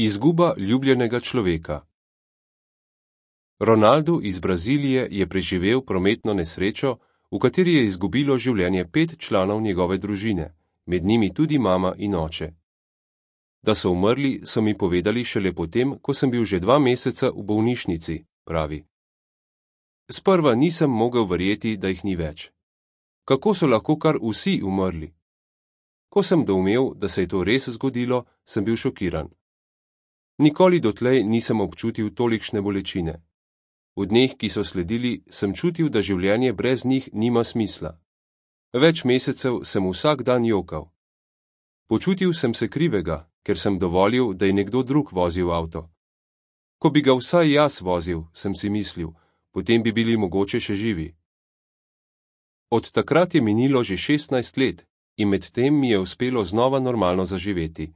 Izguba ljubljenega človeka. Ronaldo iz Brazilije je preživel prometno nesrečo, v kateri je izgubilo življenje 5 članov njegove družine, med njimi tudi mama in oče. Da so umrli, so mi povedali šele potem, ko sem bil že 2 meseca v bolnišnici, pravi. Sprva nisem mogel verjeti, da jih ni več. Kako so lahko kar vsi umrli? Ko sem doumel, da se je to res zgodilo, sem bil šokiran. Nikoli dotlej nisem občutil tolikšne bolečine. V dneh, ki so sledili, sem čutil, da življenje brez njih nima smisla. Več mesecev sem vsak dan jokal. Počutil sem se krivega, ker sem dovolil, da je nekdo drug vozil avto. Ko bi ga vsaj jaz vozil, sem si mislil, potem bi bili mogoče še živi. Od takrat je minilo že 16 let in medtem mi je uspelo znova normalno zaživeti.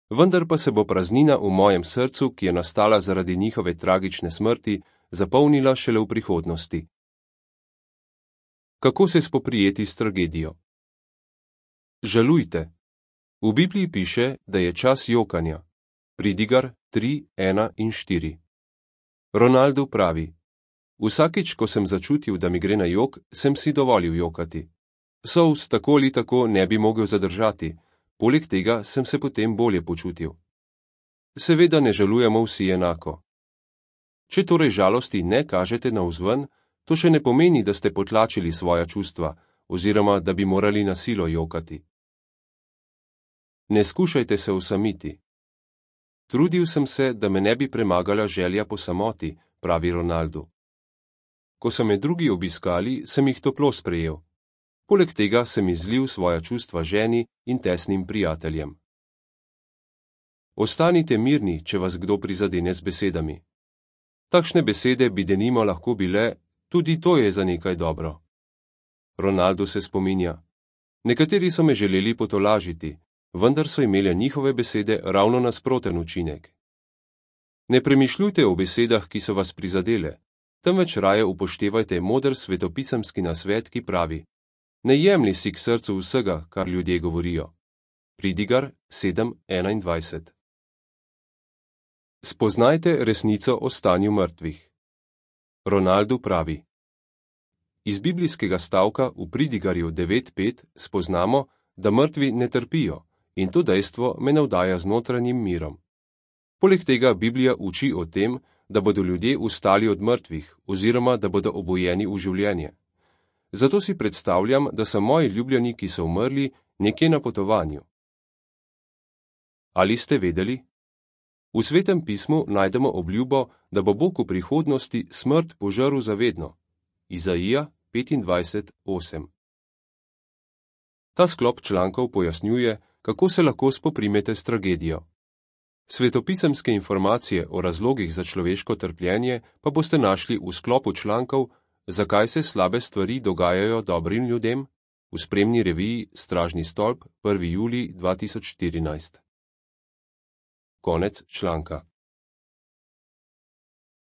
Vendar pa se bo praznina v mojem srcu, ki je nastala zaradi njihove tragične smrti, zapolnila šele v prihodnosti. Kako se spoprijeti s tragedijo? Žalujte. V Bibliji piše, da je čas jokanja. Pridigar 3, 1 in 4. Ronaldo pravi: Vsakič, ko sem začutil, da mi gre na jok, sem si dovolil jokati. Solz tako ali tako ne bi mogel zadržati, poleg tega sem se potem bolje počutil. Seveda ne žalujemo vsi enako. Če torej žalosti ne kažete navzven, to še ne pomeni, da ste potlačili svoja čustva, oziroma da bi morali na silo jokati. Ne skušajte se osamiti. Trudil sem se, da me ne bi premagala želja po samoti, pravi Ronaldo. Ko so me drugi obiskali, sem jih toplo sprejel. Poleg tega sem izlil svoja čustva ženi in tesnim prijateljem. Ostanite mirni, če vas kdo prizadene z besedami. Takšne besede bi denimo lahko bile: tudi to je za nekaj dobro. Ronaldo se spominja: nekateri so me želeli potolažiti, vendar so imele njihove besede ravno nasproten učinek. Ne premišljujte o besedah, ki so vas prizadele, temveč raje upoštevajte moder svetopisemski nasvet, ki pravi: ne jemlji si k srcu vsega, kar ljudje govorijo. Pridigar 7:21. Spoznajte resnico o stanju mrtvih. Ronaldo pravi: iz biblijskega stavka v Pridigarju 9:5 spoznamo, da mrtvi ne trpijo, in to dejstvo me navdaja z notranjim mirom. Poleg tega Biblija uči o tem, da bodo ljudje vstali od mrtvih, oziroma da bodo obujeni v življenje. Zato si predstavljam, da so moji ljubljeni, ki so umrli, nekje na potovanju. Ali ste vedeli? V Svetem pismu najdemo obljubo, da bo Bog v prihodnosti smrt požrl zavedno. Izaija 25:8. Ta sklop člankov pojasnjuje, kako se lahko spoprimete s tragedijo. Svetopisemske informacije o razlogih za človeško trpljenje pa boste našli v sklopu člankov Zakaj se slabe stvari dogajajo dobrim ljudem? V spremni reviji Stražni stolp 1. julij 2014. Konec članka.